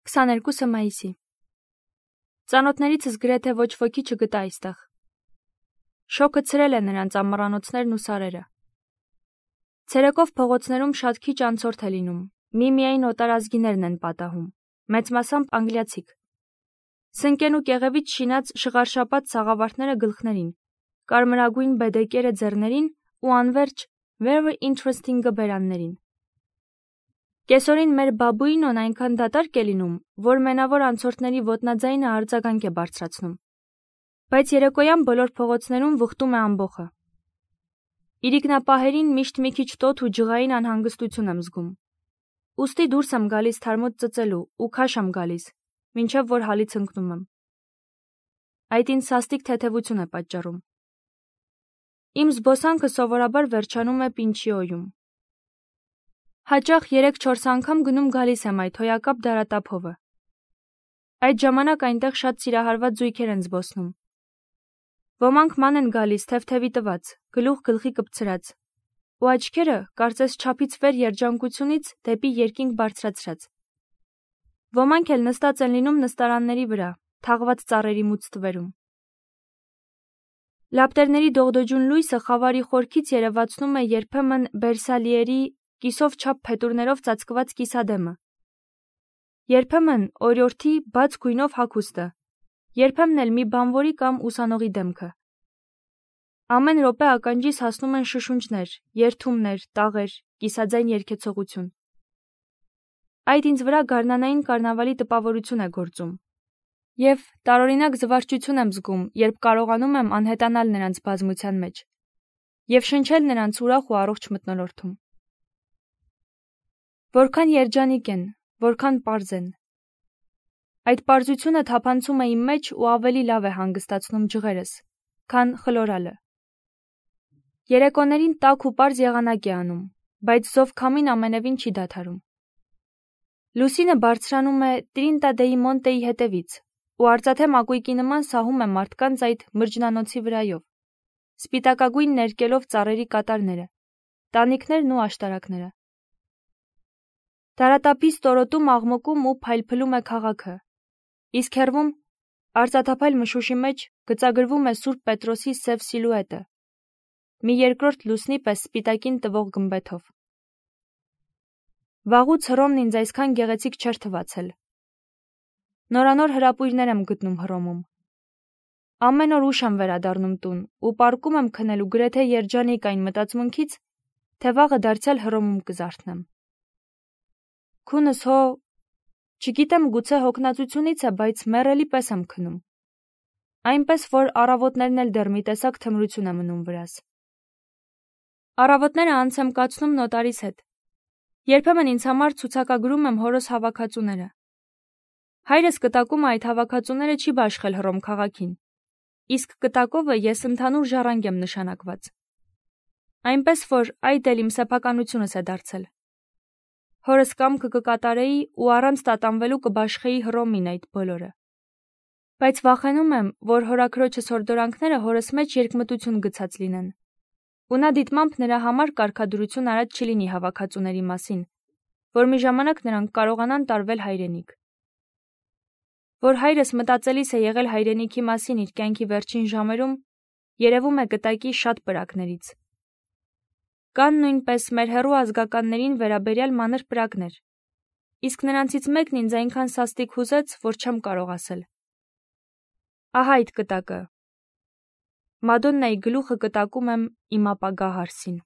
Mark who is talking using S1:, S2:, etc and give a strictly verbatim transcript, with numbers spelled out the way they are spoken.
S1: քսաներկուսը մայիսի։ Ծանոթներիցս գրեթե ոչ ոքի չգտա այստեղ։ Շոկը ցրել է նրանց ամառանոցներն ու սարերը։ Ցերեկով փողոցներում շատ քիչ անցորդ է լինում, միմիայն օտարազգիներն են պատահում, մեծ մասամբ անգլիացիք։ Սնկեն ու կեղևից շինած շղարշապատ սաղավարտները գլխներին, կարմրագույն բեդեկերը ձեռներին ու անվերջ very interesting-ը բերաններին։ Կեսօրին մեր բաբուինոն այնքան դատարկ է լինում, որ մենավոր անցորդների ոտնաձայնը արձագանք է բարձրացնում։ Բայց երեկոյան բոլոր փողոցներում վխտում է ամբոխը։ Իրիկնապահերին միշտ մի քիչ տոթ ու ջղային անհանգստություն եմ զգում։ Ուստի դուրս եմ գալիս թարմոց ծծելու ու քաշ եմ գալիս, մինչև որ հալից ընկնում եմ։ Այդ ինձ սաստիկ թեթևություն է պատճառում։ Իմ զբոսանքը սովորաբար վերջանում է Պինչիոյում։ Հաճախ երեք-չորս անգամ գնում գալիս եմ այդ հոյակապ դարատափովը։ Այդ ժամանակ այնտեղ շատ սիրահարված զույգեր են զբոսնում։ Ոմանք ման են գալիս թեթևի տված, գլուխ գլխի կպցրած, ու աչքերը կարծես չափից վեր երջանկությունից դեպի երկինք բարձրացրած։ Ոմանք էլ նստած են լինում նստարանների վրա, թաղված ծառերի մուծ թվերում։ Լապտերների դողդոջուն լույսը խավարի խորքից երևացնում է երբեմն Բերսալիերի կիսով չափ փետուրներով ծածկված կիսադեմը, երբեմն օրիորդի բաց գույնով հագուստը, երբեմն էլ մի բանվորի կամ ուսանողի դեմքը։ Ամեն րոպե ականջիս հասնում են շշունջներ, երդումներ, տաղեր, կիսաձայն երգեցողություն։ Այդ ինձ վրա գարնանային կարնավալի տպավորություն է գործում, և տարօրինակ զվարճություն եմ զգում, երբ կարողանում եմ անհետանալ նրանց բազմության մեջ և շնչել նրանց ուրախ ու առողջ մթնոլորտում։ Որքան երջանիկ են, որքան պարզ են։ Այդ պարզությունը թափանցում է իմ մեջ ու ավելի լավ է հանգստացնում ջղերս, քան խլորալը։ Երեկոներին տաք ու պարզ եղանակ է անում, բայց զով քամին ամենևին չի դադարում։ Լուսինը բարձրանում է Տրինտա դեի Մոնտեի հետևից ու արծաթե մակույկի նման սահում է մարդկանց այդ մրջնանոցի վրայով, սպիտակագույն ներկելով ծառերի կատարները, տանիքներն ու աշտարակները։ Դարատափի ստորոտում աղմկում ու փայլփլում է քաղաքը, իսկ հեռվում, արծաթափայլ մշուշի մեջ, գծագրվում է Սուրբ Պետրոսի սև սիլուետը, մի երկրորդ լուսնի պես սպիտակին տվող գմբեթով։ Վաղուց Հռոմն ինձ այսքան գեղեցիկ չէր թվացել։ Նորանոր հրապույրներ եմ գտնում Հռոմում։ Ամեն օր ուշ եմ վերադառնում տուն ու պառկում եմ քնելու գրեթե երջանիկ այն մտածմունքից, թե վաղը դարձյալ Հռոմում կզարթնեմ։ Քունս հո, չգիտեմ գուցե հոգնածությունից է, բայց մեռելի պես եմ քնում։ Այնպես, որ առավոտներն էլ դեռ մի տեսակ թմրություն է մնում վրաս։ Առավոտները անց եմ կացնում նոտարիս հետ։ Երբեմն ինձ համար ցուցակագրում եմ հորս հավաքածուները։ Հայրս կտակում այդ հավաքածուները չի բաշխել Հռոմ քաղաքին, իսկ կտակովը ես ընդհանուր ժառանգ եմ նշանակված։ Այնպես, որ այդ էլ իմ սեփականությունս է դարձել։ Հորս կամքը կկատարեի ու առանց տատանվելու կբաշխեի Հռոմին այդ բոլորը։ Բայց վախենում եմ, որ հորաքրոջս հորդորանքները հորս մեջ երկմտություն գցած լինեն, ու նա դիտմամբ նրա համար կարգադրություն արած չլինի հավաքածուների մասին, որ մի ժամանակ նրանք կարողանան տարվել հայրենիք։ Որ հայրս մտածելիս է եղել հայրենիքի մասին իր կյանքի վերջին ժամերում, երևում է կտակի շատ պրակներից։ Կան նույնպես մեր հեռու ազգականներին վերաբերյալ մանր պրակներ, իսկ նրանցից մեկն ինձ այնքան սաստիկ հուզեց, որ չեմ կարող ասել։ Ահա այդ կտակը։ Մադոննայի գլուխը կտակում եմ իմ ապագա հարսին։